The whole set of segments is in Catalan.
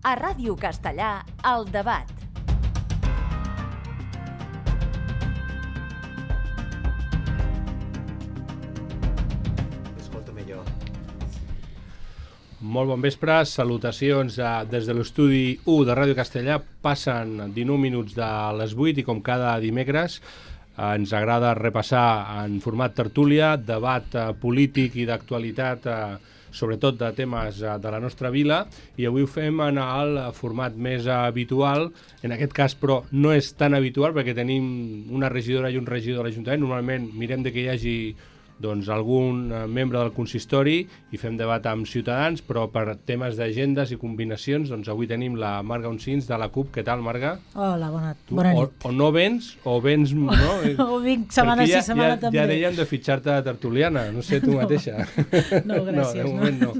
A Ràdio Castellà, El Debat. Molt bon vespre, salutacions des de l'estudi 1 de Ràdio Castellà. Passen 19 minuts de les 8 i com cada dimecres ens agrada repassar en format tertúlia, debat polític i d'actualitat, sobretot de temes de la nostra vila, i avui ho fem en el format més habitual. En aquest cas, però, no és tan habitual perquè tenim una regidora i un regidor de l'Ajuntament. Normalment mirem de que hi hagi algun membre del consistori i fem debat amb ciutadans, però per temes d'agendes i combinacions, avui tenim la Marga Oncins de la CUP. Què tal, Marga? Hola, bona nit. O no vens, o vens... No? O vinc setmana sí, setmana també. Ja deien de fitxar-te de tertuliana, no sé, tu mateixa. No, gràcies. De moment no.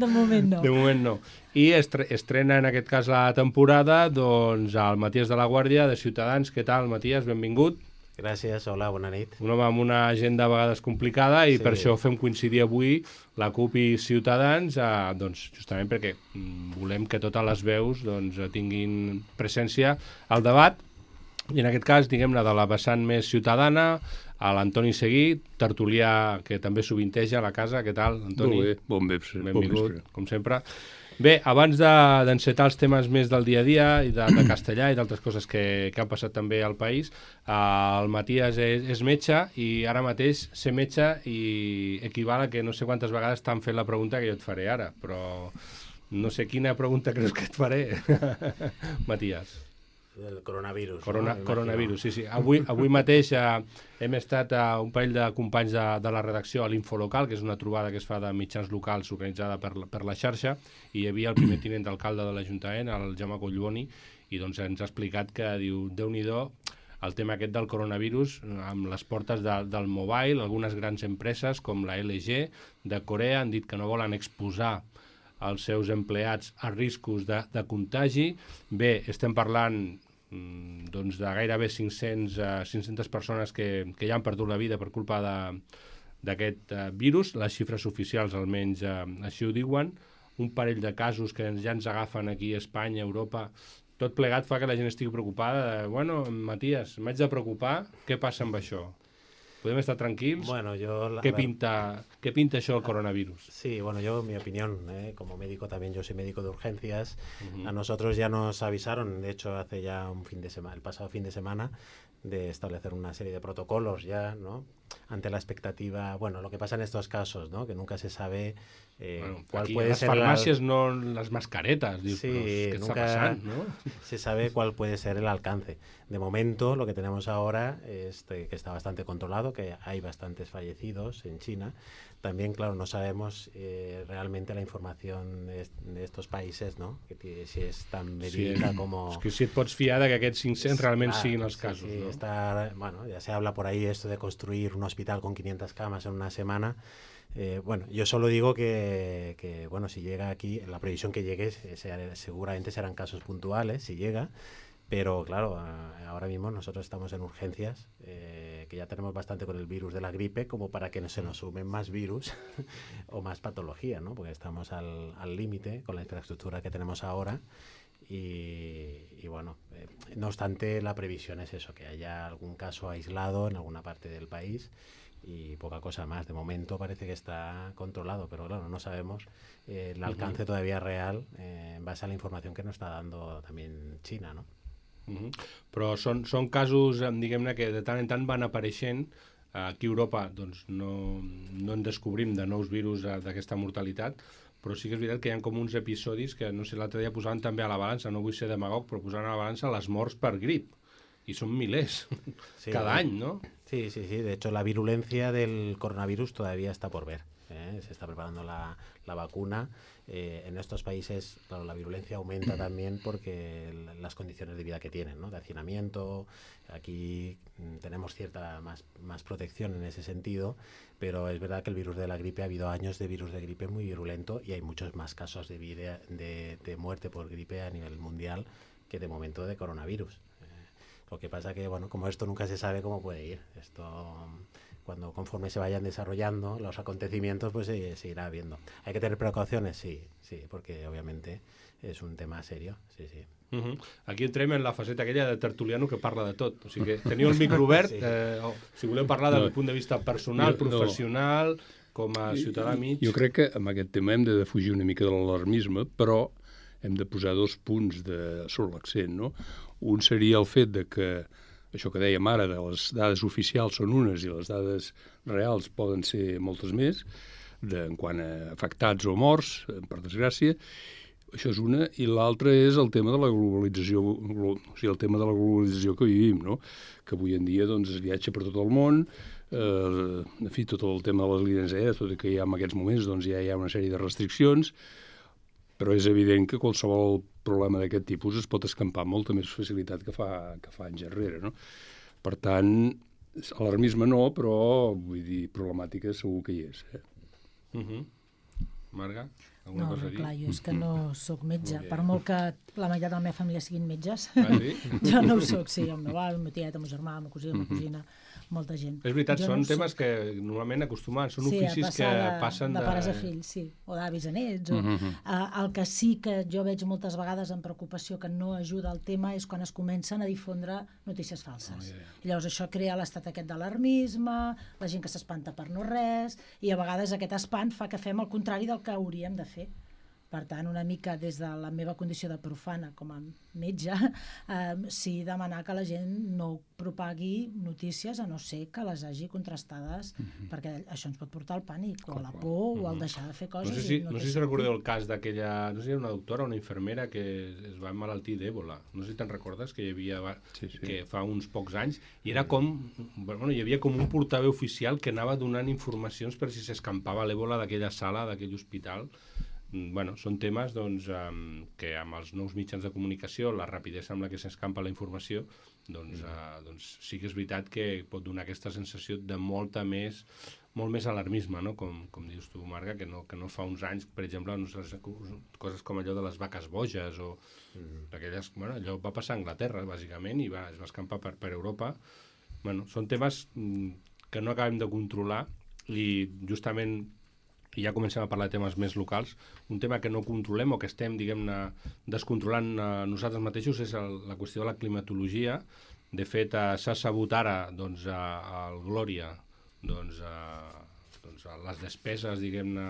De moment no. I estrena en aquest cas la temporada el Matías de la Guàrdia, de Ciutadans. Què tal, Matías? Benvingut. Gràcies, hola, bona nit. Un home amb una agenda a vegades complicada i per això fem coincidir avui la CUP i Ciutadans, justament perquè volem que totes les veus tinguin presència al debat, i en aquest cas, diguem-ne, de la vessant més ciutadana, a l'Antoni Seguí, tertulià que també sovinteja a la casa. Què tal, Antoni? Molt bé, bon vespre. Benvingut, com sempre. Bé, abans d'encetar els temes més del dia a dia i de castellà i d'altres coses que han passat també al país, el Matías és metge i ara mateix ser metge i equival a que no sé quantes vegades t'han fet la pregunta que jo et faré ara, però no sé quina pregunta creus que et faré, Matías. Del coronavirus. Coronavirus, sí. Avui mateix hem estat un parell de companys de la redacció a l'Infolocal, que és una trobada que es fa de mitjans locals organitzada per la xarxa, i hi havia el primer tinent d'alcalde de l'Ajuntament, el Jaume Collboni, i ens ha explicat que, diu, Déu-n'hi-do, el tema aquest del coronavirus amb les portes del mobile. Algunes grans empreses com la LG de Corea han dit que no volen exposar els seus empleats a riscos de contagi. Bé, estem parlant de gairebé 500 persones que ja han perdut la vida per culpa d'aquest virus. Les xifres oficials almenys així ho diuen. Un parell de casos que ja ens agafen aquí a Espanya, a Europa. Tot plegat fa que la gent estigui preocupada. Bueno, Matías, m'haig de preocupar. Què passa amb això? ¿Podemos estar tranquilos? Bueno, ¿Qué pinta eso el coronavirus? Sí, bueno, yo, mi opinión, como médico también, yo soy médico de urgencias. A nosotros ya nos avisaron, de hecho, hace ya el pasado fin de semana, de establecer una serie de protocolos ya, ¿no? Ante la expectativa, bueno, lo que pasa en estos casos, ¿no? Que nunca se sabe cuál puede ser... Las farmacias no las mascaretas, digo, sí, ¿qué está pasando, no? Se sabe cuál puede ser el alcance. De momento, lo que tenemos ahora es que está bastante controlado, que hay bastantes fallecidos en China. También, claro, no sabemos realmente la información de estos países, ¿no? Que si es tan verídica como... Es que si et pots fiar de que aquests 500 realment siguin els casos, sí, ¿no? Bueno, ya se habla por ahí esto de construir un hospital con 500 camas en una semana. Bueno, yo solo digo que bueno, si llega aquí, la previsión que llegue seguramente serán casos puntuales, si llega, pero claro, ahora mismo nosotros estamos en urgencias, que ya tenemos bastante con el virus de la gripe como para que no se nos sumen más virus o más patología, ¿no? Porque estamos al límite con la infraestructura que tenemos ahora. Y bueno, no obstante, la previsión es eso, que haya algún caso aislado en alguna parte del país y poca cosa más. De momento parece que está controlado, pero claro, no sabemos el alcance todavía real en base a la información que nos está dando también China, ¿no? Però són casos, diguem-ne, que de tant en tant van apareixent. Aquí a Europa no en descobrim de nous virus d'aquesta mortalitat, però sí que és veritat que hi ha com uns episodis que, no sé, l'altre dia posaven també a la balança, no vull ser demagog, però posaven a la balança les morts per grip, i són milers cada any, ¿no? Sí, de hecho la virulencia del coronavirus todavía está por ver. Se está preparando la vacuna. En estos países, claro, la virulencia aumenta también porque las condiciones de vida que tienen, ¿no? De hacinamiento. Aquí tenemos cierta más protección en ese sentido, pero es verdad que el virus de la gripe, ha habido años de virus de gripe muy virulento y hay muchos más casos de muerte por gripe a nivel mundial que de momento de coronavirus. Lo que pasa que, bueno, como esto nunca se sabe cómo puede ir. Esto conforme se vayan desarrollando los acontecimientos, pues se irá viendo. ¿Hay que tener precauciones? Sí, porque obviamente és un tema serio, sí. Aquí entrem en la faceta aquella de tertuliano que parla de tot. O sigui que teniu el micro obert, si voleu parlar del punt de vista personal, professional, com a ciutadà mig... Jo crec que amb aquest tema hem de defugir una mica de l'alarmisme, però hem de posar 2 punts sobre l'accent, no? Un seria el fet de que, això que dèiem ara, de les dades oficials són unes i les dades reals poden ser moltes més, en quant a afectats o morts, per desgràcia. Això és una, i l'altra és el tema de la globalització, o sigui, el tema de la globalització que vivim, no? Que avui en dia doncs, es viatja per tot el món, en fi, tot el tema de les línies aèries, tot i que ja en aquests moments doncs, ja hi ha una sèrie de restriccions, però és evident que qualsevol problema d'aquest tipus es pot escampar amb molta més facilitat que fa anys enrere, no? Per tant, alarmisme no, però vull dir, problemàtica segur que hi és. Marga? No, clar, jo és que no sóc metge. Per molt que la meitat de la meva família siguin metges, jo no ho sóc, sí, el meu avi, el meu tiet, el meu germà, la meva cosina, molta gent. És veritat, són temes que normalment acostumen, són oficis que passen de pares a fills, sí, o d'avis a nets. El que sí que jo veig moltes vegades amb preocupació que no ajuda al tema és quan es comencen a difondre notícies falses. I llavors això crea l'estat aquest d'alarmisme, la gent que s'espanta per no res, i a vegades aquest espant fa que fem el contrari del que hauríem de fer. Per tant, una mica des de la meva condició de profana com a metge, sí demanar que la gent no propagui notícies a no ser que les hagi contrastades, perquè això ens pot portar al pànic o a la por o al deixar de fer coses. No sé si recordeu el cas d'aquella, no sé si era una doctora o una infermera que es va emmalaltir d'èbola. No sé si te'n recordes que hi havia que fa uns pocs anys, i era com, bueno, hi havia com un portaveu oficial que anava donant informacions per si s'escampava l'èbola d'aquella sala, d'aquell hospital. Bueno, són temes doncs, que amb els nous mitjans de comunicació, la rapidesa amb la que s'escampa la informació, doncs sí que és veritat que pot donar aquesta sensació de molt més alarmisme, no? Com dius tu, Marga, que no fa uns anys, per exemple, coses com allò de les vaques boges o aquelles, bueno, allò va passar a Anglaterra, bàsicament, i es va escampar per Europa. Bueno, són temes que no acabem de controlar i justament i ja comencem a parlar de temes més locals, un tema que no controlem o que estem, diguem-ne, descontrolant nosaltres mateixos és la qüestió de la climatologia. De fet, s'ha sabut ara, doncs, al Glòria, doncs, les despeses, diguem-ne,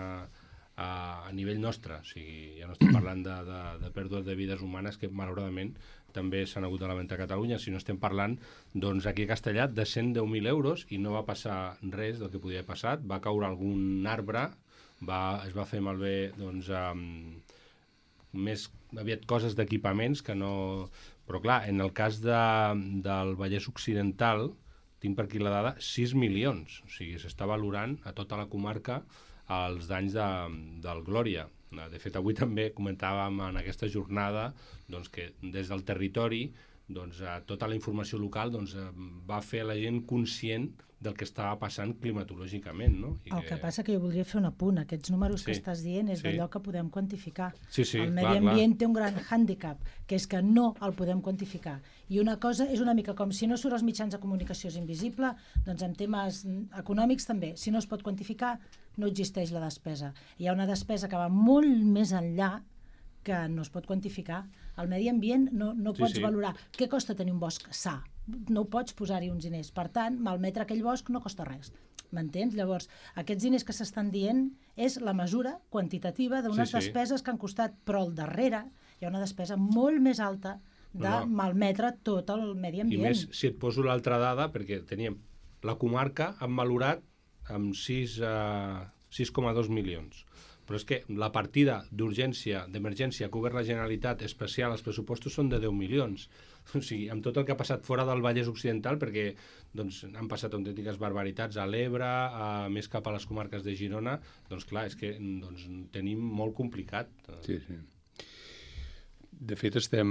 a nivell nostre. O sigui, ja no estem parlant de pèrdues de vides humanes que, malauradament, també s'han hagut de lamentar a Catalunya, si no estem parlant, doncs, aquí a Castellà, de 110.000 euros, i no va passar res del que podia haver passat. Va caure algun arbre, es va fer malbé doncs, més aviat coses d'equipaments que no... Però clar, en el cas del Vallès Occidental, tinc per aquí la dada, 6 milions. O sigui, s'està valorant a tota la comarca els danys del Glòria. De fet, avui també comentàvem en aquesta jornada doncs, que des del territori doncs, tota la informació local doncs, va fer a la gent conscient del que estava passant climatològicament, no? El que passa que jo voldria fer un apunt. Aquests números que estàs dient és d'allò que podem quantificar. El medi ambient té un gran hàndicap, que és que no el podem quantificar. I una cosa és una mica com si no surt als mitjans de comunicació és invisible, doncs en temes econòmics també. Si no es pot quantificar, no existeix la despesa. Hi ha una despesa que va molt més enllà que no es pot quantificar. El medi ambient no pots valorar. Què costa tenir un bosc sa? No pots posar-hi uns diners. Per tant, malmetre aquell bosc no costa res. M'entens? Llavors, aquests diners que s'estan dient és la mesura quantitativa d'unes despeses que han costat, però al darrere hi ha una despesa molt més alta de malmetre tot el medi ambient. I més, si et poso l'altra dada, perquè teníem la comarca han valorat amb 6,2 milions. Però és que la partida d'urgència, d'emergència que ha obert la Generalitat especial, els pressupostos són de 10 milions. O sigui, amb tot el que ha passat fora del Vallès Occidental, perquè doncs, han passat autèntiques barbaritats a l'Ebre, més cap a les comarques de Girona, doncs clar, és que doncs, tenim molt complicat. Sí. De fet, estem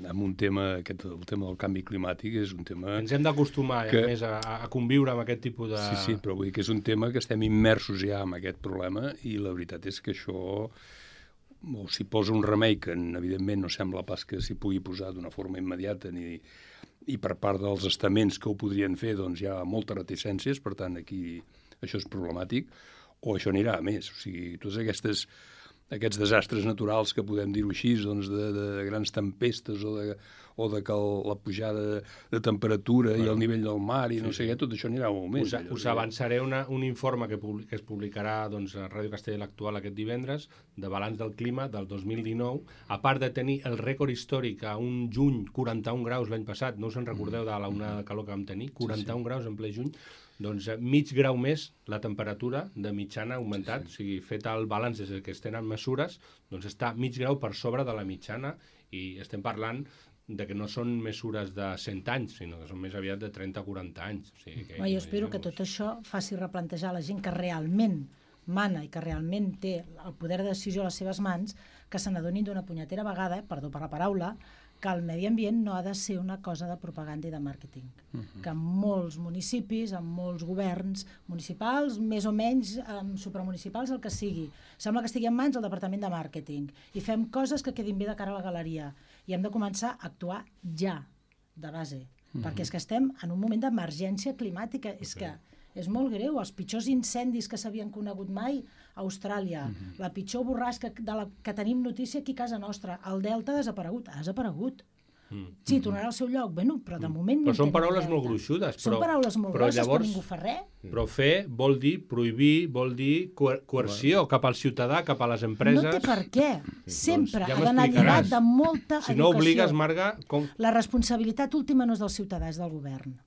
en un tema, el tema del canvi climàtic és un tema... Ens hem d'acostumar, més, a conviure amb aquest tipus de... Sí, però vull dir que és un tema que estem immersos ja en aquest problema i la veritat és que això, o s'hi posa un remei que evidentment no sembla pas que s'hi pugui posar d'una forma immediata ni i per part dels estaments que ho podrien fer doncs hi ha moltes reticències, per tant aquí això és problemàtic, o això anirà a més. O sigui, totes aquests desastres naturals que podem dir-ho així, doncs de grans tempestes o de que la pujada de temperatura i el nivell del mar i no sé què, tot això anirà molt més. Us avançaré un informe que es publicarà a Ràdio Castella l'Actual aquest divendres, de balanç del clima del 2019, a part de tenir el rècord històric a un juny, 41 graus l'any passat, no us en recordeu de la onada de calor que vam tenir, 41 graus en ple juny, doncs mig grau més la temperatura de mitjana ha augmentat, o sigui, fet el balanç des que es tenen mesures, doncs està mig grau per sobre de la mitjana i estem parlant de que no són mesures de 100 anys, sinó que són més aviat de 30 o 40 anys. O sigui, jo espero que tot això faci replantejar la gent que realment mana i que realment té el poder de decisió a les seves mans, que se n'adonin d'una punyetera vegada, perdó per la paraula, que el medi ambient no ha de ser una cosa de propaganda i de màrqueting. Que en molts municipis, en molts governs municipals, més o menys supramunicipals, el que sigui, sembla que estigui en mans del departament de màrqueting i fem coses que quedin bé de cara a la galeria i hem de començar a actuar ja, de base, perquè és que estem en un moment d'emergència climàtica, és que és molt greu, els pitjors incendis que s'havien conegut mai a Austràlia, la pitjor borrasca que tenim notícia aquí a casa nostra, el Delta ha desaparegut. Sí, tornarà al seu lloc, bueno, però de moment no però són paraules molt gruixudes. Són paraules molt grosses, però ningú fa res. Però fer vol dir prohibir, vol dir coerció cap al ciutadà, cap a les empreses. No té per què. Sempre ha d'anar lligat de molta educació. Si no obligues, Marga... La responsabilitat última no és del ciutadà, és del govern.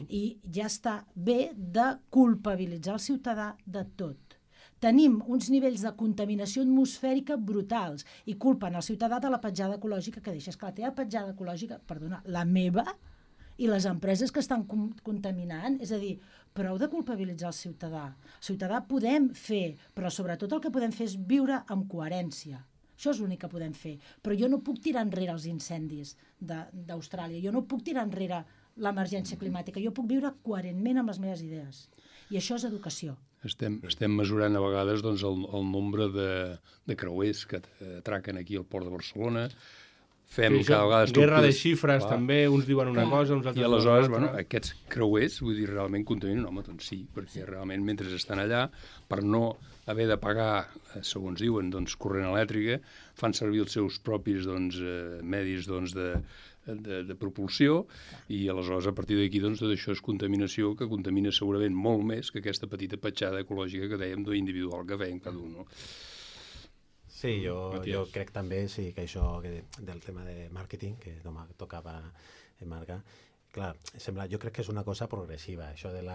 I ja està bé de culpabilitzar el ciutadà de tot. Tenim uns nivells de contaminació atmosfèrica brutals i culpen el ciutadà de la petjada ecològica que deixa. És que la teva petjada ecològica, perdona, la meva i les empreses que estan contaminant, és a dir, prou de culpabilitzar el ciutadà. El ciutadà podem fer, però sobretot el que podem fer és viure amb coherència. Això és l'únic que podem fer. Però jo no puc tirar enrere els incendis d'Austràlia, jo no puc tirar enrere l'emergència climàtica, jo puc viure coherentment amb les meves idees. I això és educació. Estem mesurant a vegades doncs, el nombre de creuers que atraquen aquí al port de Barcelona. Fem cada vegada guerra de xifres, també, uns diuen una cosa, uns altres... I aleshores, bueno, aquests creuers, vull dir, realment contaminen? Home, doncs sí, perquè realment mentre estan allà, per no haver de pagar, segons diuen, doncs, corrent elèctrica, fan servir els seus propis doncs, medis doncs, de propulsió i aleshores a partir d'aquí doncs, tot això és contaminació que contamina segurament molt més que aquesta petita petjada ecològica que dèiem individual que fèiem cada un, no? Sí, jo crec també que això del tema de màrqueting, que tocava Marga, clar, jo crec que és una cosa progressiva. Això del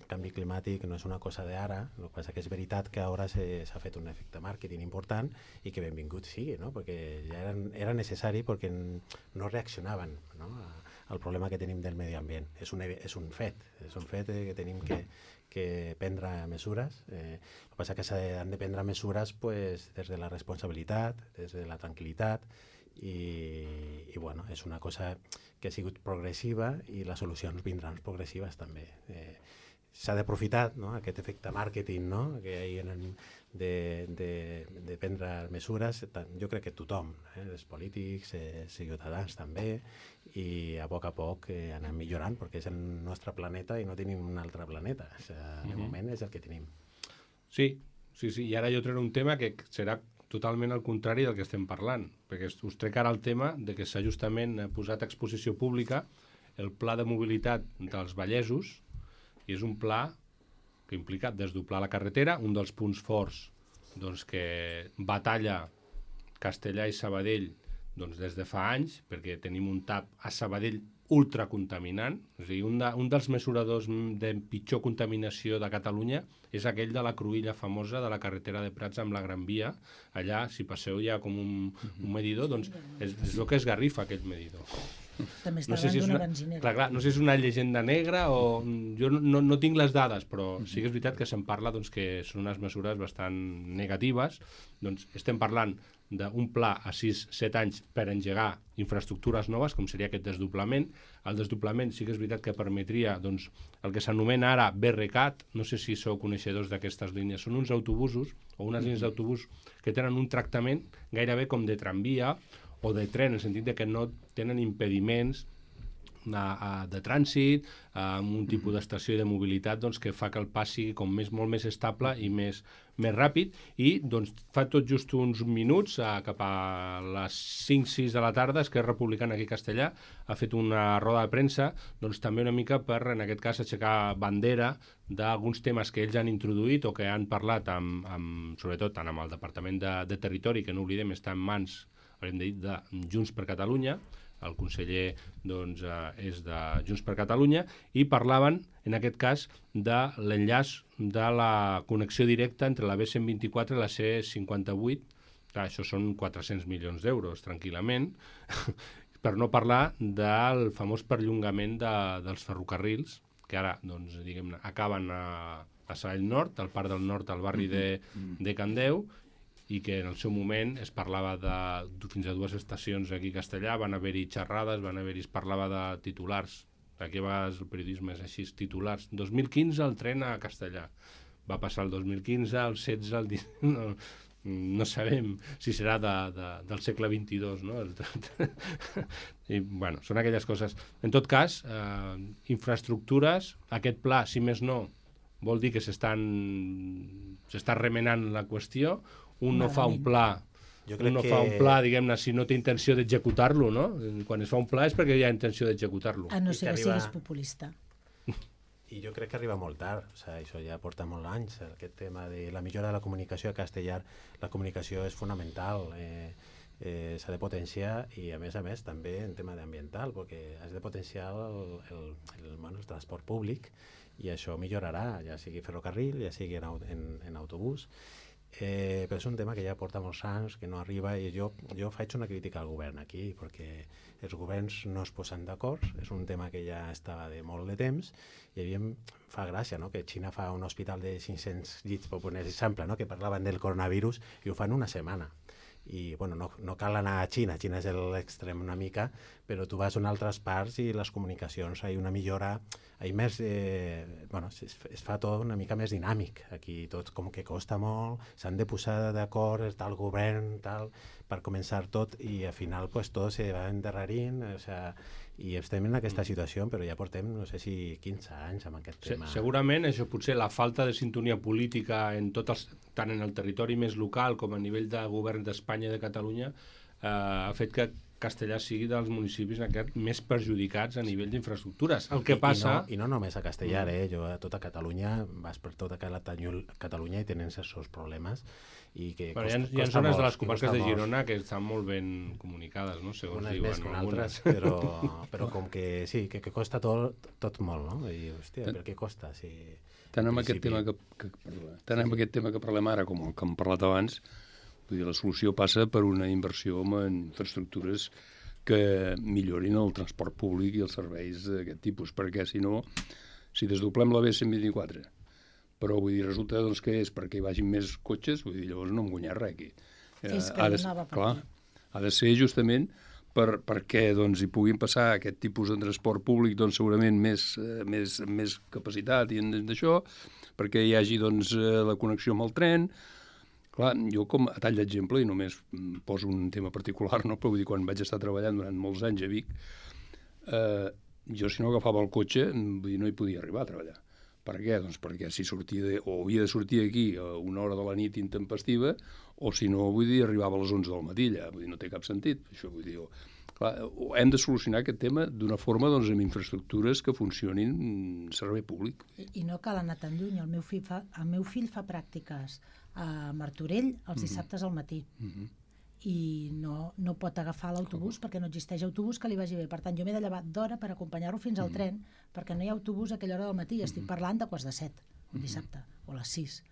canvi climàtic no és una cosa d'ara, el que passa que és veritat que ara s'ha fet un efecte màrqueting important i que benvingut sigui, no? Perquè ja era necessari perquè no reaccionaven, no? Al problema que tenim del medi ambient. És un fet que tenim que prendre mesures. El que passa que s'han de prendre mesures des de la responsabilitat, des de la tranquil·litat, i bueno, és una cosa que ha sigut progressiva i les solucions vindran progressives també. S'ha d'aprofitar, no? Aquest efecte màrqueting, no? Que hi ha de prendre mesures, jo crec que tothom, els polítics, els ciutadans també, i a poc anem millorant perquè és el nostre planeta i no tenim un altre planeta. De moment és el que tenim. Sí, i ara jo trec un tema que serà totalment al contrari del que estem parlant, perquè us trec ara el tema de que s'ha justament posat a exposició pública el pla de mobilitat dels vallesos, i és un pla que implica desdoblar la carretera, un dels punts forts doncs, que batalla Castellà i Sabadell doncs, des de fa anys, perquè tenim un TAP a Sabadell ultracontaminant, és a dir, un dels mesuradors de pitjor contaminació de Catalunya és aquell de la cruïlla famosa de la carretera de Prats amb la Gran Via. Allà, si passeu ja com un medidor, doncs és el que es garrifa aquell medidor. També està davant d'una benzinera. Clar, no sé si és una llegenda negra o... Jo no tinc les dades, però sí que és veritat que se'n parla doncs, que són unes mesures bastant negatives. Doncs estem parlant d'un pla a 6-7 anys per engegar infraestructures noves, com seria aquest desdoblament. El desdoblament sí que és veritat que permetria doncs, el que s'anomena ara BRCAT, no sé si sou coneixedors d'aquestes línies, són uns autobusos o unes línies d'autobús que tenen un tractament gairebé com de tramvia o de tren, en el sentit de que no tenen impediments de trànsit, amb un tipus d'estació i de mobilitat doncs, que fa que el pas sigui com molt més estable i més ràpid, i doncs, fa tot just uns minuts, cap a les 5-6 de la tarda, Esquerra Republicana aquí a Castellar ha fet una roda de premsa, doncs també una mica per, en aquest cas, aixecar bandera d'alguns temes que ells han introduït o que han parlat sobretot tant amb el Departament de Territori, que no oblidem està en mans, haurem dit, de Junts per Catalunya. El conseller doncs, és de Junts per Catalunya, i parlaven, en aquest cas, de l'enllaç de la connexió directa entre la B124 i la C58. Clar, això són 400 milions d'euros, tranquil·lament, per no parlar del famós perllongament dels ferrocarrils, que ara doncs, diguem-ne, acaben a Sabadell Nord, al Parc del Nord, al barri de Can Deu, i que en el seu moment es parlava de fins a 2 estacions aquí a Castellar, van haver-hi xerrades, es parlava de titulars, aquí a vegades el periodisme és així, titulars, 2015 el tren a Castellar, va passar el 2015, el 16, el 19, no sabem si serà del segle XXII, no? I, bueno, són aquelles coses. En tot cas, infraestructures, aquest pla, si més no, vol dir que s'està remenant la qüestió. Un no fa un pla, diguem-ne, si no té intenció d'executar-lo, no? Quan es fa un pla és perquè hi ha intenció d'executar-lo. A no ser que siguis populista. I jo crec que arriba molt tard, o sigui, això ja porta molts anys, aquest tema de la millora de la comunicació a Castellar. La comunicació és fonamental, s'ha de potenciar, i a més també en tema ambiental, perquè has de potenciar el transport públic, i això millorarà, ja sigui ferrocarril, ja sigui en autobús. Però és un tema que ja porta molts anys, que no arriba, i jo faig una crítica al govern aquí, perquè els governs no es posen d'acord, és un tema que ja estava de molt de temps, i a mi fa gràcia, no?, que Xina fa un hospital de 500 llits, per poner exemple, no?, que parlaven del coronavirus, i ho fan una setmana. I bueno, no cal anar a Xina és l'extrem una mica, però tu vas a altres parts i les comunicacions, hi ha una millora, hi més, es fa tot una mica més dinàmic. Aquí tot com que costa molt, s'han de posar d'acord, està el govern, tal, per començar tot, i al final pues, tot se va endarrerint, o sea, i estem en aquesta situació, però ja portem, no sé si 15 anys amb aquest tema. Segurament això potser la falta de sintonia política tant en el territori més local com a nivell de govern d'Espanya i de Catalunya ha fet que Castellar sigui dels municipis més perjudicats a nivell d'infraestructures. El que passa... I no només a Castellar, jo a tota Catalunya, vas per tota Catalunya i tenen els seus problemes. I que hi ha zones de les comarques de Girona que estan molt ben comunicades, no? Segons unes diuen. Més que altres, però com que sí, que costa tot molt, no? I, hòstia, per què costa? Si, tant amb aquest tema que parlem ara com el que hem parlat abans, vull dir, la solució passa per una inversió en infraestructures que millorin el transport públic i els serveis d'aquest tipus, perquè si no, si desdoblem la B124, però vull dir, resulta doncs, que és perquè hi vagin més cotxes, vull dir, llavors no hem guanyat res aquí. És que anava per aquí. Ha de ser justament perquè doncs, hi puguin passar aquest tipus de transport públic doncs, segurament més capacitat i d'això, perquè hi hagi doncs, la connexió amb el tren. Clar, jo com a tall d'exemple, i només poso un tema particular, no? Però vull dir, quan vaig estar treballant durant molts anys a Vic, jo si no agafava el cotxe, vull dir, no hi podia arribar a treballar. Per què? Doncs perquè si sortia o havia de sortir aquí a una hora de la nit intempestiva, o si no, vull dir, arribava a les 11 del matí allà. Vull dir, no té cap sentit. Això, vull dir, clar, hem de solucionar aquest tema d'una forma doncs, amb infraestructures que funcionin servei públic. I no cal anar tan lluny. El meu fill fa pràctiques a Martorell els dissabtes al matí. I no pot agafar l'autobús perquè no existeix autobús que li vagi bé. Per tant, jo m'he de llevar d'hora per acompanyar-lo fins al tren, perquè no hi ha autobús a aquella hora del matí. Estic parlant de 6:45, un dissabte, o a les 6.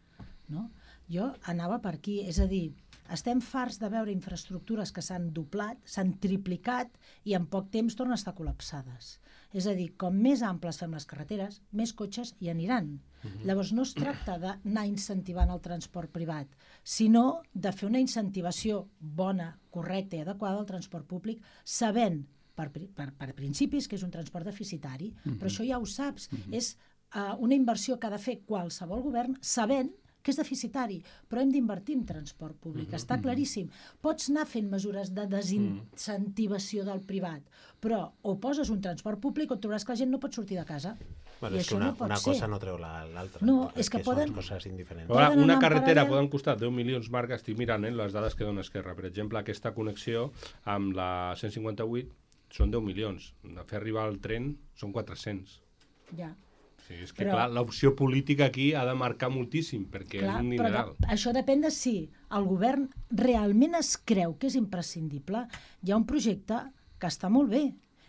No? Jo anava per aquí, és a dir, estem farts de veure infraestructures que s'han doblat, s'han triplicat i en poc temps tornen a estar col·lapsades. És a dir, com més amples fem les carreteres, més cotxes hi aniran. Llavors no es tracta d'anar incentivant el transport privat, sinó de fer una incentivació bona, correcta i adequada al transport públic, sabent per principis que és un transport deficitari, però això ja ho saps, és una inversió que ha de fer qualsevol govern sabent que és deficitari, però hem d'invertir en transport públic, està claríssim. Pots anar fent mesures de desincentivació del privat, però o poses un transport públic o trobaràs que la gent no pot sortir de casa. Bueno, és que una cosa no treu l'altra. No, és que poden... Són coses indiferents. Una carretera poden costar 10 milions, Marc, estic mirant les dades que dona Esquerra. Per exemple, aquesta connexió amb la 158 són 10 milions. Fer arribar el tren són 400. Ja. Sí, és que, clar, l'opció política aquí ha de marcar moltíssim, perquè és un dineral. Això depèn de si el govern realment es creu que és imprescindible. Hi ha un projecte que està molt bé,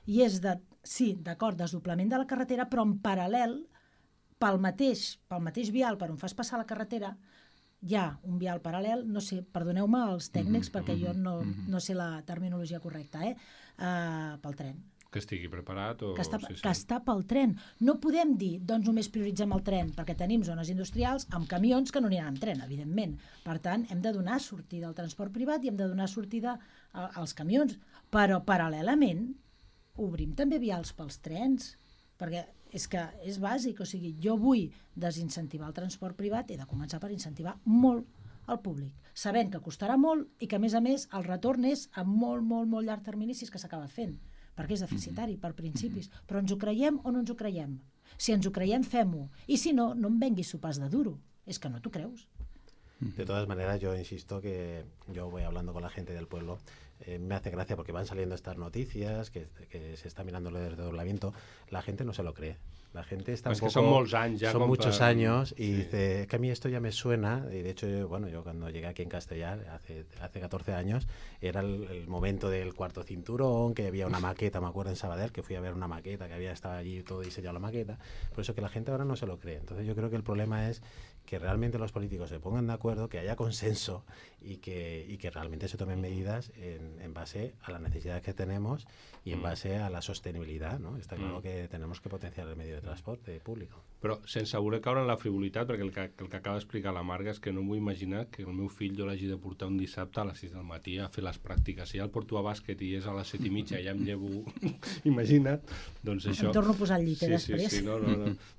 i és de, sí, d'acord, desdoblament de la carretera, però en paral·lel, pel mateix vial per on fas passar la carretera, hi ha un vial paral·lel, no sé, perdoneu-me els tècnics, perquè jo no sé la terminologia correcta, pel tren. Que estigui preparat o... Que està pel tren. No podem dir, doncs només prioritzem el tren, perquè tenim zones industrials amb camions que no aniran amb tren, evidentment. Per tant, hem de donar sortida al transport privat i hem de donar sortida als camions. Però, paral·lelament, obrim també vials pels trens, perquè és que és bàsic. O sigui, jo vull desincentivar el transport privat, he de començar per incentivar molt el públic, sabent que costarà molt i que, a més, el retorn és a molt, molt, molt llarg termini si és que s'acaba fent, perquè és deficitari per principis. Però ens ho creiem o no ens ho creiem? Si ens ho creiem, fem-ho. I si no, no em venguis sopars de duro. És que no t'ho creus. De todas maneras, yo insisto que yo voy hablando con la gente del pueblo, me hace gracia porque van saliendo estas noticias, que se está mirando lo del desdoblamiento, la gente no se lo cree. La gente está un poco... que son muchos años ya. Son muchos años y dice, que a mí esto ya me suena, y de hecho, yo cuando llegué aquí en Castellar, hace 14 años, era el momento del cuarto cinturón, que había una maqueta, me acuerdo en Sabadell, que fui a ver una maqueta, que había estado allí todo diseñado la maqueta, por eso que la gente ahora no se lo cree. Entonces yo creo que el problema es que realmente los políticos se pongan de acuerdo, que haya consenso y que realmente se tomen medidas en base a las necesidades que tenemos y en base a la sostenibilidad, ¿no? Está claro que tenemos que potenciar el medio de transporte público. Però sense voler caure en la frivolitat, perquè el que acaba d'explicar la Marga és que no m'ho imaginar que el meu fill jo l'hagi de portar un dissabte a les 6 del matí a fer les pràctiques. Si ja el porto a bàsquet i és a les 7:30 ja em llevo, imagina't, doncs això... Em torno a posar al llit després. Sí, no.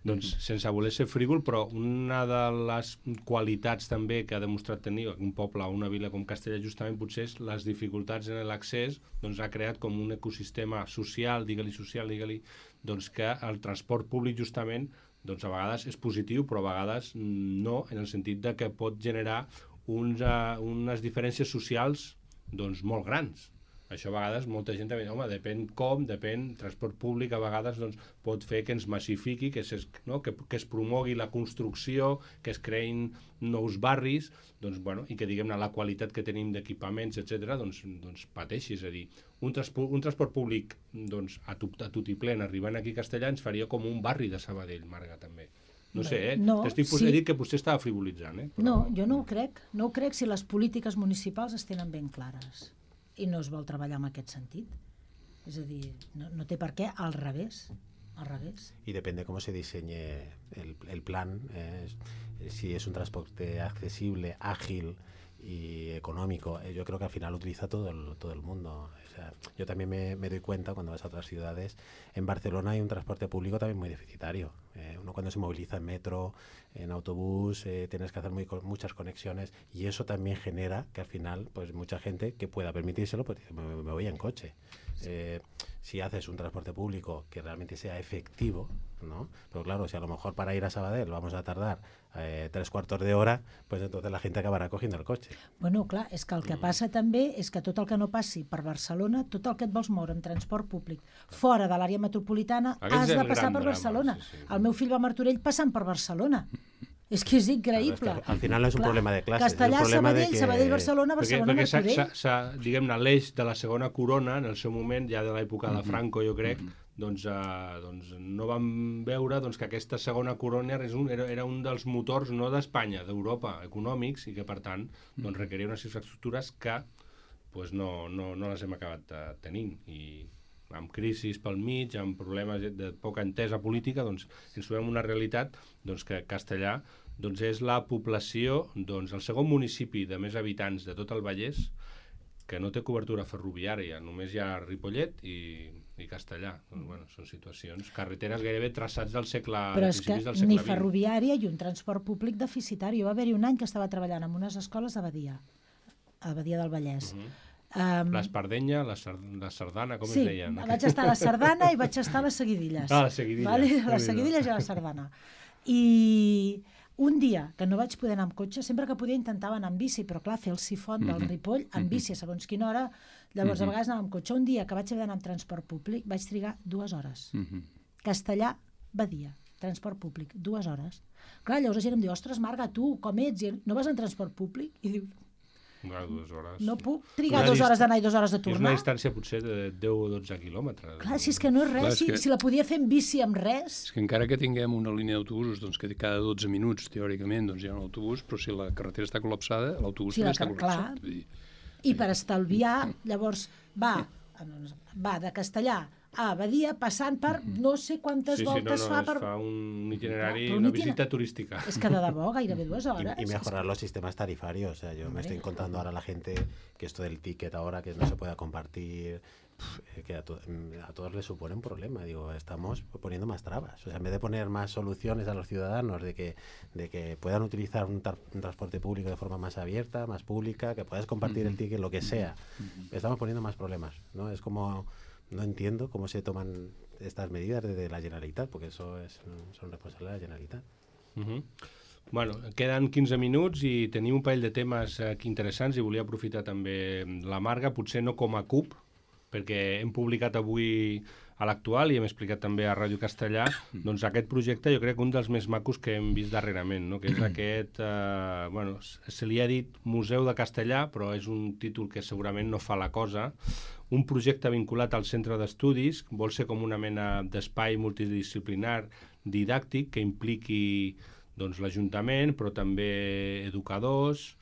Doncs sense voler ser frívol, però una de les qualitats també que ha demostrat tenir un poble o una vila com Castellar justament potser és les dificultats en l'accés, doncs ha creat com un ecosistema social, digue-li, doncs que el transport públic justament doncs a vegades és positiu, però a vegades no, en el sentit de que pot generar unes diferències socials doncs molt grans. Això a vegades molta gent també, depèn, transport públic a vegades doncs, pot fer que ens massifiqui, que es promogui la construcció, que es creïn nous barris, doncs, i que diguem-ne la qualitat que tenim d'equipaments, etc., doncs pateixi. És a dir, un transport públic doncs, a tutiplén arribant aquí a Castellar ens faria com un barri de Sabadell, Marga, també. No sé, he dit que potser estava frivolitzant. Però... No, jo no ho crec. No ho crec si les polítiques municipals es tenen ben clares i no es vol treballar en aquest sentit. És a dir, no té per què, al revés. Y depende cómo se diseñe el plan, si es un transporte accesible, ágil y económico, yo creo que al final utiliza todo el mundo. O sea, yo también me doy cuenta cuando vas a otras ciudades. En Barcelona hay un transporte público también muy deficitario. Uno cuando se moviliza en metro, en autobús, tienes que hacer muchas conexiones y eso también genera que al final pues mucha gente que pueda permitírselo pues me voy en coche. Si haces un transporte público que realmente sea efectivo, ¿no? Pero claro, si a lo mejor para ir a Sabadell vamos a tardar 3/4 de hora, pues entonces la gente acabarà cogiendo el cotxe. Bueno, clar, és que el que passa també és que tot el que no passi per Barcelona, tot el que et vols moure en transport públic fora de l'àrea metropolitana, has de passar per Barcelona. El meu fill va a Martorell passant per Barcelona. És que és increïble. Claro, es que al final no és un problema de classes. Castellar, Sabadell, Sabadell, Barcelona, Barcelona, Martorell. Perquè diguem-ne, l'eix de la segona corona, en el seu moment, ja de l'època de Franco, jo crec, doncs no vam veure que aquesta segona corona era un dels motors no d'Espanya, d'Europa, econòmics, i que per tant requeria unes infraestructures que no les hem acabat tenint. I amb crisis pel mig, amb problemes de poca entesa política, ens trobem una realitat que Castellar és la població, el segon municipi de més habitants de tot el Vallès, que no té cobertura ferroviària, només hi ha Ripollet i Castellà. Doncs, bueno, són situacions, carreteres gairebé traçats del segle XX. Però és que ni ferroviària i un transport públic deficitari. Va haver-hi un any que estava treballant en unes escoles a Badia del Vallès. L'Espardenya, la Sardana, com es deien? Sí, vaig estar a la Sardana i vaig estar a les Seguidilles. A les Seguidilles. Vale? A les Seguidilles i a la Sardana. I un dia que no vaig poder anar amb cotxe, sempre que podia intentava anar amb bici, però clar, fer el sifon del Ripoll amb bici a segons quina hora, llavors a vegades anava amb cotxe. Un dia que vaig haver d'anar amb transport públic vaig trigar 2 hores. Castellà, Badia, transport públic, 2 hores. Clar, llavors la gent em diu, ostres, Marga, tu com ets? I no vas en transport públic? I diu, 2 hores. No puc trigar 2 hores d'anar i 2 hores de tornar. És una distància potser de 10 o 12 quilòmetres. Clar, si és que no és res, si la podia fer en bici amb res... És que encara que tinguem una línia d'autobusos, doncs que cada 12 minuts, teòricament, doncs hi ha un autobús, però si la carretera està col·lapsada, l'autobús també està col·lapsat. I per estalviar, llavors, va de Castellà a Badia, passant per no sé quantes voltes fa per... es fa un itinerari, una visita turística. Es que de debò, gairebé 2 hores. Y mejorar los sistemas tarifarios. O sea, yo me estoy encontrando ahora a la gente que esto del ticket ahora, que no se pueda compartir, que a todos les supone un problema. Digo, estamos poniendo más trabas. O sea, en vez de poner más soluciones a los ciudadanos de que puedan utilizar un transporte público de forma más abierta, más pública, que puedas compartir el ticket, lo que sea, estamos poniendo más problemas, ¿no? Es como... No entiendo cómo se toman estas medidas desde la Generalitat, porque eso son responsabilidad de la Generalitat. Bueno, queden 15 minuts i tenim un parell de temes aquí interessants i volia aprofitar també la Marga, potser no com a CUP, perquè hem publicat avui a l'Actual i hem explicat també a Ràdio Castellà, doncs aquest projecte jo crec que un dels més macos que hem vist darrerament, no? Que és aquest, bueno, se li ha dit Museu de Castellà, però és un títol que segurament no fa la cosa, un projecte vinculat al centre d'estudis, vol ser com una mena d'espai multidisciplinar didàctic que impliqui doncs, l'Ajuntament, però també educadors.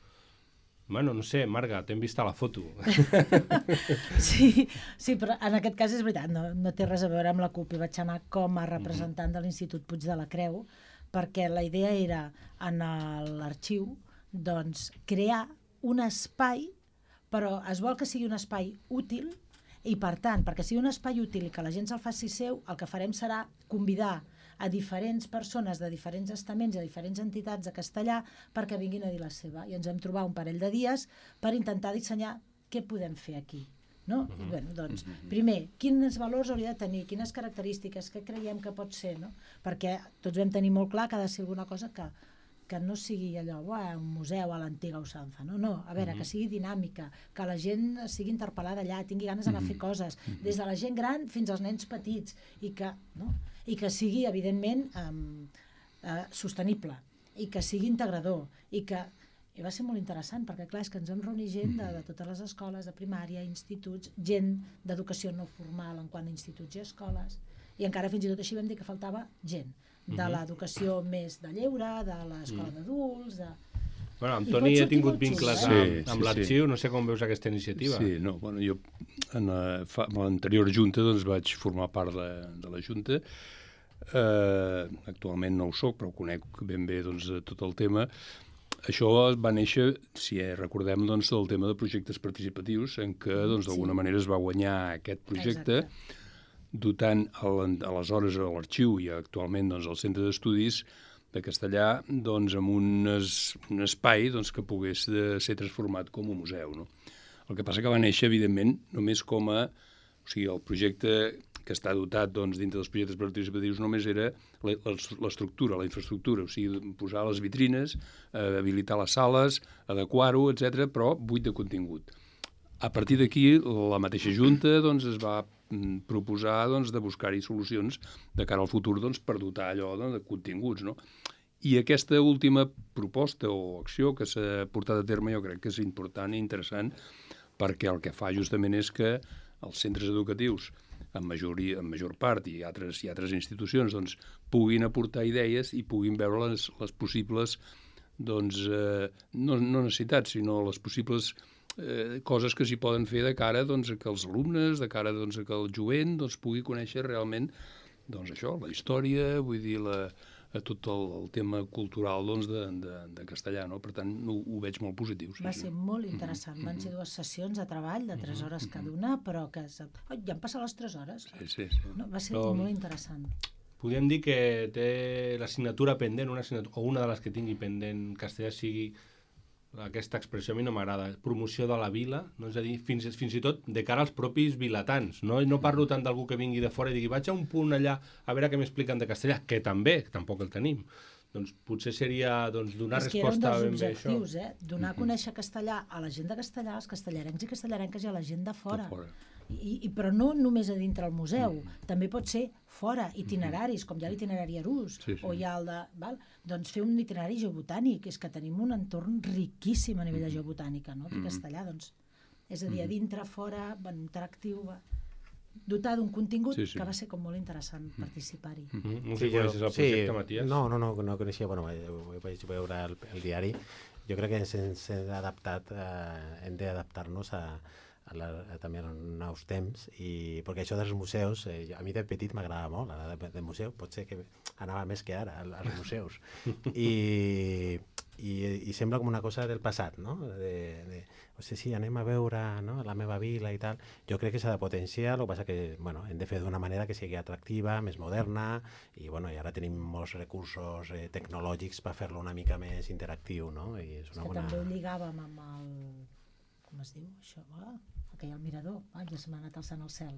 Bueno, no sé, Marga, t'hem vist a la foto. Sí, però en aquest cas és veritat, no té res a veure amb la CUP. I vaig anar com a representant de l'Institut Puig de la Creu, perquè la idea era, en l'arxiu, doncs, crear un espai, però es vol que sigui un espai útil i, per tant, perquè sigui un espai útil i que la gent se'l faci seu, el que farem serà convidar a diferents persones de diferents estaments i a diferents entitats de Castellà perquè vinguin a dir la seva. I ens vam trobar un parell de dies per intentar dissenyar què podem fer aquí. No? I, bueno, doncs, primer, quins valors hauria de tenir, quines característiques, què creiem que pot ser, no? Perquè tots vam tenir molt clar que ha de ser alguna cosa que no sigui allò, un museu a l'antiga usança, no, a veure, que sigui dinàmica, que la gent sigui interpel·lada allà, tingui ganes d'anar a fer coses, des de la gent gran fins als nens petits, i que sigui, evidentment, sostenible, i que sigui integrador, i va ser molt interessant, perquè clar, és que ens vam reunir gent de totes les escoles, de primària, instituts, gent d'educació no formal en quant a instituts i escoles, i encara fins i tot així vam dir que faltava gent, de l'educació més de lleure, de l'escola d'adults... Bueno, amb Toni he tingut vincles amb l'arxiu, no sé com veus aquesta iniciativa. Sí, no, bueno, jo en l'anterior junta doncs vaig formar part de la junta. Actualment no ho soc, però conec ben bé doncs, tot el tema. Això va néixer, si recordem, doncs, del tema de projectes participatius, en què doncs, d'alguna manera es va guanyar aquest projecte, dotant aleshores a l'Arxiu i actualment doncs, al Centre d'Estudis de Castellà doncs, amb un espai doncs, que pogués ser transformat com un museu. No? El que passa que va néixer, evidentment, només com a... O sigui, el projecte que està dotat doncs, dintre dels projectes participatius només era l'estructura, la infraestructura, o sigui, posar les vitrines, habilitar les sales, adequar-ho, etc., però buit de contingut. A partir d'aquí, la mateixa Junta doncs, es va proposar doncs, de buscar-hi solucions de cara al futur doncs, per dotar allò de continguts. No? I aquesta última proposta o acció que s'ha portat a terme jo crec que és important i interessant perquè el que fa justament és que els centres educatius en major part i altres institucions doncs, puguin aportar idees i puguin veure les possibles doncs, no necessitats sinó les possibles coses que s'hi poden fer de cara doncs, que els alumnes, de cara doncs, que el jovent doncs, pugui conèixer realment doncs, això, la història, vull dir, tot el tema cultural doncs, de castellà, no? Per tant, ho veig molt positiu. Va ser molt interessant. Van ser 2 sessions de treball de 3 hores cada una, però que... Oh, ja han passat les 3 hores. Sí. No, va ser molt interessant. Podríem dir que té l'assignatura pendent, o una de les que tingui pendent castellà sigui aquesta expressió, a mi no m'agrada, promoció de la vila, no? És a dir, fins i tot de cara als propis vilatans. No parlo tant d'algú que vingui de fora i digui vaig a un punt allà a veure què m'expliquen de castellà, que també, tampoc el tenim. Doncs potser seria donar resposta ben bé a això. És que era un dels objectius, donar a conèixer castellà a la gent de castellà, als castellarencs i castellarenques i a la gent de fora. Però no només a dintre el museu, també pot ser fora, itineraris, com hi ha l'itinerari Arús, o hi ha el de... Doncs fer un itinerari geobotànic, és que tenim un entorn riquíssim a nivell de geobotànica, no? Aquí a castellà, doncs, és a dir, a dintre, fora, interactiu, dotar d'un contingut que va ser com molt interessant participar-hi. No sé si coneixes el projecte, Matías? No coneixia, bueno, ho vaig veure el diari. Jo crec que hem d'adaptar-nos també en nous temps, perquè això dels museus, a mi de petit m'agradava molt anar de museu, potser que anava més que ara als museus, i sembla com una cosa del passat, no? Sí, anem a veure, no? La meva vila i tal. Jo crec que s'ha de potenciar, el que passa que hem de fer d'una manera que sigui atractiva, més moderna, i ara tenim molts recursos tecnològics per fer-lo una mica més interactiu, no? I és una bona... També ho lligàvem amb el... com es diu això? Que hi ha el mirador, ja se m'ha anat alçant al cel.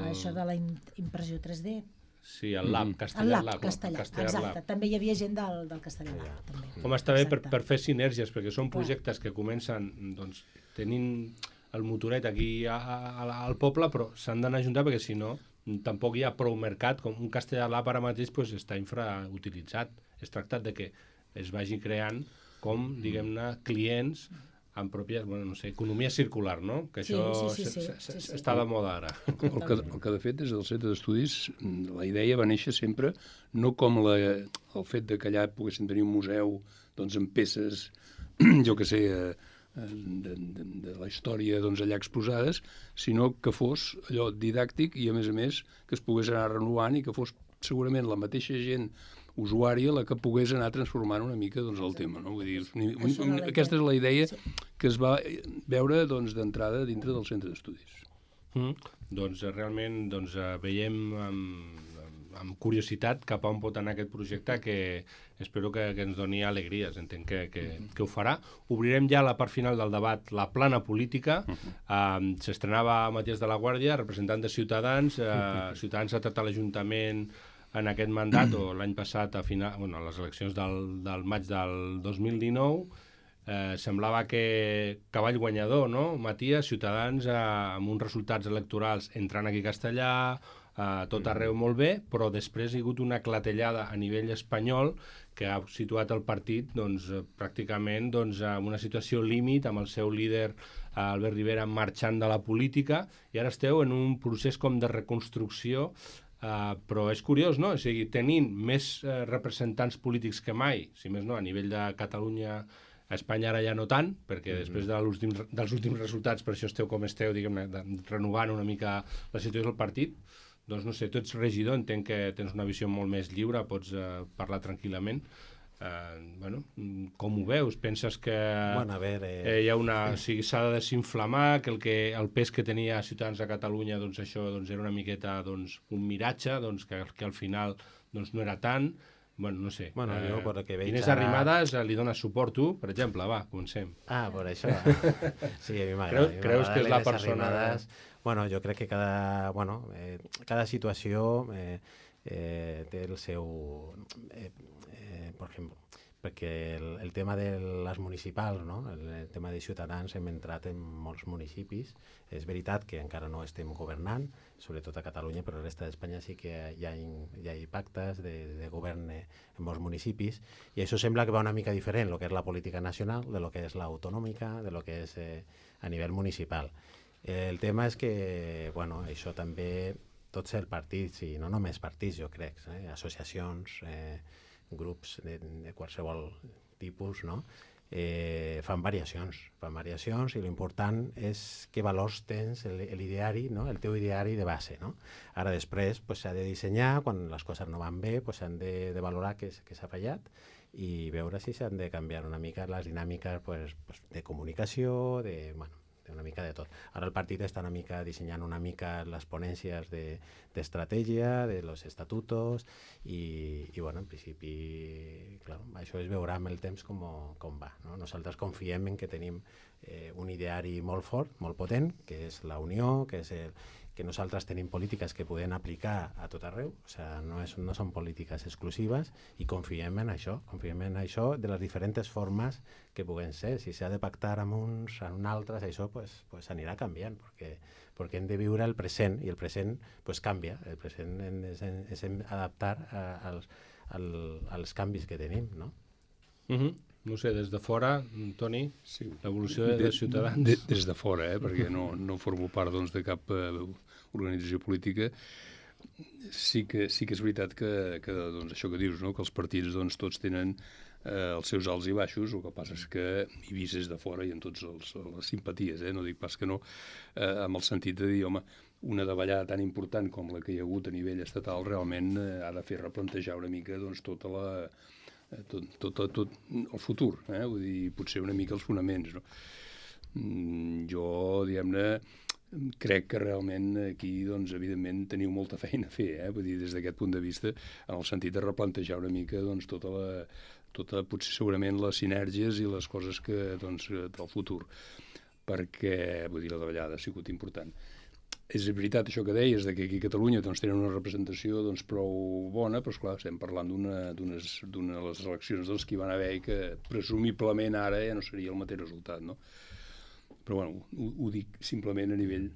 Això de la impressió 3D. Sí, el Lab, Castellar Lab. Exacte, també hi havia gent del Castellar Lab. Home, està bé per fer sinergies, perquè són projectes que comencen tenint el motoret aquí al poble, però s'han d'anar a juntar perquè si no tampoc hi ha prou mercat, com un Castellar Lab ara mateix està infrautilitzat. És tractat de que es vagi creant com, diguem-ne, clients amb pròpies, economia circular, no? Que això està de moda ara. El que de fet des del centre d'estudis la idea va néixer sempre no com el fet que allà poguéssim tenir un museu amb peces, jo que sé, de la història allà exposades, sinó que fos allò didàctic i a més que es pogués anar renovant i que fos segurament la mateixa gent usuària la que pogués anar transformant una mica el tema, no? Vull dir, aquesta és la idea que es va veure d'entrada dintre del centre d'estudis. Doncs realment veiem amb curiositat cap a on pot anar aquest projecte, que espero que ens doni alegries, entenc que ho farà. Obrirem ja la part final del debat, la plana política. S'estrenava Matías de la Guàrdia, representant de Ciutadans. Ciutadans ha tractat l'Ajuntament en aquest mandat, o l'any passat, a les eleccions del maig del 2019, semblava que cavall guanyador, no? Matías, Ciutadans, amb uns resultats electorals entrant aquí a Castellà, tot arreu molt bé, però després hi ha hagut una clatellada a nivell espanyol que ha situat el partit pràcticament en una situació límit, amb el seu líder Albert Rivera marxant de la política, i ara esteu en un procés com de reconstrucció. Però és curiós, no? O sigui, tenint més representants polítics que mai, si més no, a nivell de Catalunya, a Espanya ara ja no tant, perquè després dels últims resultats, per això esteu com esteu, diguem-ne, renovant una mica la situació del partit, doncs no sé, tu ets regidor, entenc que tens una visió molt més lliure, pots parlar tranquil·lament. Com ho veus? Penses que hi ha s'ha de desinflamar, que el pes que tenia Ciutadans a Catalunya, això era una miqueta un miratge, que al final no era tant? No sé. Jo per el que veig... Inés Arrimadas li dones suport tu, per exemple? Va, comencem. Per això. Sí, a mi m'agrada. Creus que és la persona... Jo crec que cada situació té el seu... per exemple, perquè el tema de les municipals, no? El tema de Ciutadans, hem entrat en molts municipis. És veritat que encara no estem governant, sobretot a Catalunya, però a la resta d'Espanya sí que hi ha pactes de govern en molts municipis, i això sembla que va una mica diferent, el que és la política nacional, de lo que és l'autonòmica, de lo que és a nivell municipal. El tema és que, això també, tots els partits, i no només partits, jo crec, associacions, grups de qualsevol tipus, no? fan variacions i l'important és que valors tens l'ideari, no? El teu ideari de base. No? Ara després s'ha de dissenyar, quan les coses no van bé s'han de valorar què s'ha fallat i veure si s'han de canviar una mica les dinàmiques de comunicació, una mica de tot. Ara el partit està una mica dissenyant una mica les ponències d'estratègia, de los estatutos i en principi, clar, això es veurà amb el temps com va. No? Nosaltres confiem en que tenim un ideari molt fort, molt potent, que és la unió, que nosaltres tenim polítiques que podem aplicar a tot arreu, no són polítiques exclusives i confiem en això de les diferents formes que puguen ser. Si s'ha de pactar amb uns, amb altres, això anirà canviant, perquè hem de viure el present i el present canvia, el present és adaptar als canvis que tenim, no? No sé, des de fora, Toni, l'evolució de Ciutadans... Des de fora, perquè no formo part de cap organització política, sí que és veritat que això que dius, que els partits tots tenen els seus alts i baixos, el que passa és que hi vist des de fora i en totes les simpaties, no dic pas que no, amb el sentit de dir, home, una davallada tan important com la que hi ha hagut a nivell estatal realment ha de fer replantejar una mica tot el futur, vull dir, potser una mica els fonaments, no? Jo, diguem-ne, crec que realment aquí, evidentment, teniu molta feina a fer, vull dir, des d'aquest punt de vista, en el sentit de replantejar una mica potser segurament les sinergies i les coses del futur, perquè, vull dir, la davallada ha sigut important. És veritat això que deies, que aquí a Catalunya tenen una representació prou bona, però esclar, estem parlant d'una de les eleccions que hi van haver i que presumiblement ara ja no seria el mateix resultat, no? Però bueno, ho dic simplement a nivell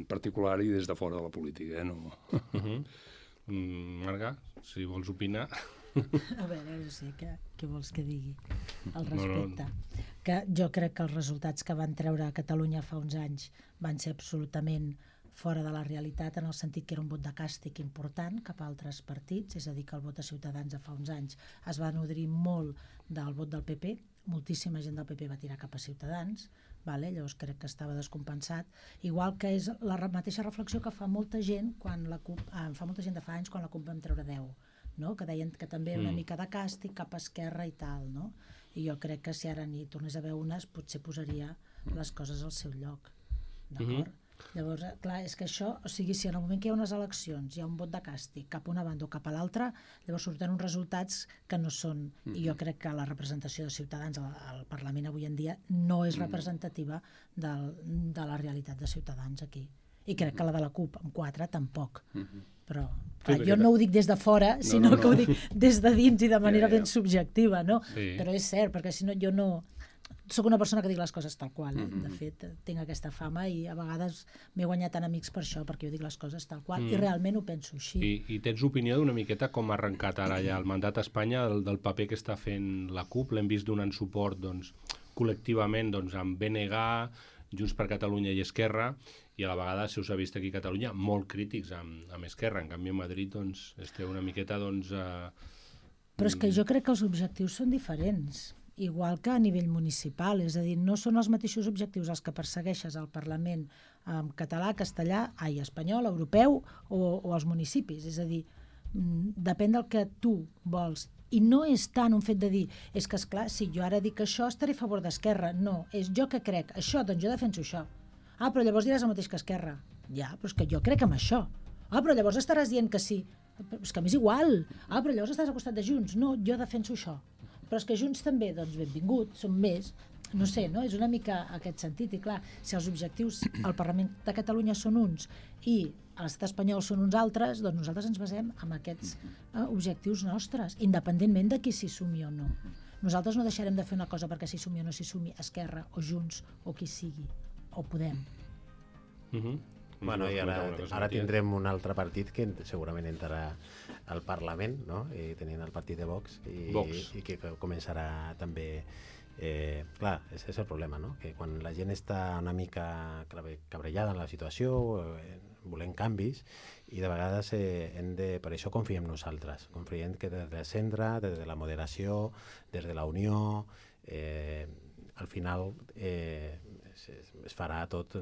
particular i des de fora de la política, no? Marga, si vols opinar... A veure, no sé, què vols que digui al respecte? Que jo crec que els resultats que van treure a Catalunya fa uns anys van ser absolutament fora de la realitat, en el sentit que era un vot de càstig important cap a altres partits, és a dir, que el vot de Ciutadans de fa uns anys es va nodrir molt del vot del PP, moltíssima gent del PP va tirar cap a Ciutadans, llavors crec que estava descompensat, igual que és la mateixa reflexió que fa molta gent de fa anys quan la CUP vam treure 10, no? Que deien que també una mica de càstig cap a Esquerra i tal, no? I jo crec que si ara n'hi tornés a haver unes potser posaria les coses al seu lloc, d'acord? Llavors, clar, és que això, o sigui, si en el moment que hi ha unes eleccions hi ha un vot de càstig cap a una banda o cap a l'altra, llavors surten uns resultats que no són, i jo crec que la representació de Ciutadans al Parlament avui en dia no és representativa de la realitat de Ciutadans aquí. I crec que la de la CUP, amb 4, tampoc. Però jo no ho dic des de fora, sinó que ho dic des de dins i de manera ben subjectiva, no? Però és cert, perquè si no, jo no... Soc una persona que dic les coses tal qual, de fet tinc aquesta fama i a vegades m'he guanyat tant amics per això, perquè jo dic les coses tal qual i realment ho penso així. I tens opinió d'una miqueta com ha arrencat ara ja el mandat a Espanya, del paper que està fent la CUP? L'hem vist donant suport col·lectivament amb BNG, Junts per Catalunya i Esquerra, i a la vegada se us ha vist aquí a Catalunya molt crítics amb Esquerra, en canvi a Madrid esteu una miqueta Però és que jo crec que els objectius són diferents, igual que a nivell municipal, és a dir, no són els mateixos objectius els que persegueixes al Parlament en català, castellà, espanyol, europeu o als municipis, és a dir, depèn del que tu vols. I no és tant un fet de dir, és que esclar, si jo ara dic això estaré a favor d'Esquerra, no, és jo que crec això, doncs jo defenso això. Però llavors diràs el mateix que Esquerra. Ja, però és que jo crec en això. Però llavors estaràs dient que sí. És que m'és igual. Però llavors estàs al costat de Junts. No, jo defenso això. Però és que Junts també, doncs benvingut, són més, no sé, no? És una mica aquest sentit, i clar, si els objectius al Parlament de Catalunya són uns i a l'estat espanyol són uns altres, doncs nosaltres ens basem en aquests objectius nostres, independentment de qui s'hi sumi o no. Nosaltres no deixarem de fer una cosa perquè s'hi sumi o no s'hi sumi Esquerra o Junts o qui sigui, o Podem. Bueno, i ara tindrem un altre partit que segurament entrarà al Parlament, no? I tenint el partit de Vox i que començarà també... clar, és el problema, no? Que quan la gent està una mica cabrellada en la situació, volem canvis, i de vegades per això confiem nosaltres. Confiem que des del centre, des de la moderació, des de la unió, al final es farà tot,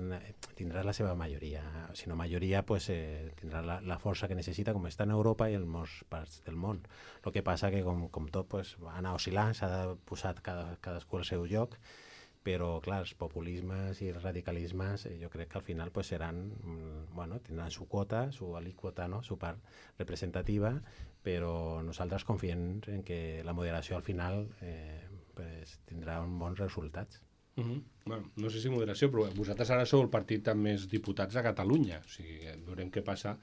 tindrà la seva majoria. Si no majoria, pues, tindrà la força que necessita, com està en Europa i en molts parts del món. El que passa que, com tot, pues, va anar oscil·lant, s'ha posat cadascú al seu lloc, però, clar, els populismes i els radicalismes jo crec que al final pues, seran, bueno, tindran su quota, su alíquota, no? Su part representativa, però nosaltres confiem en que la moderació al final pues, tindrà uns bons resultats. Bueno, no sé si moderació, però vosaltres ara sou el partit amb més diputats a Catalunya, o sigui, veurem què passa.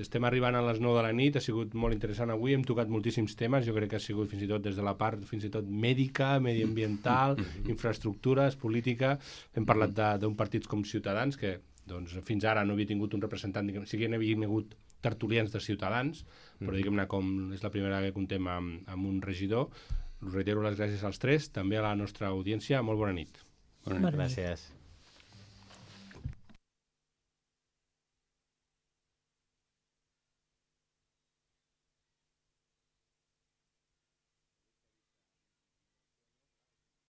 Estem arribant a les 9 de la nit, ha sigut molt interessant avui, hem tocat moltíssims temes, jo crec que ha sigut fins i tot des de la part fins i tot mèdica, mediambiental, infraestructures, política, hem parlat d'un partit com Ciutadans, que doncs, fins ara no havia tingut un representant, sí que n'havia hagut tertulians de Ciutadans, però diguem-ne com és la primera vegada que contem amb un regidor. Us reitero les gràcies als tres, també a la nostra audiència. Molt bona nit. Bona nit. Gràcies.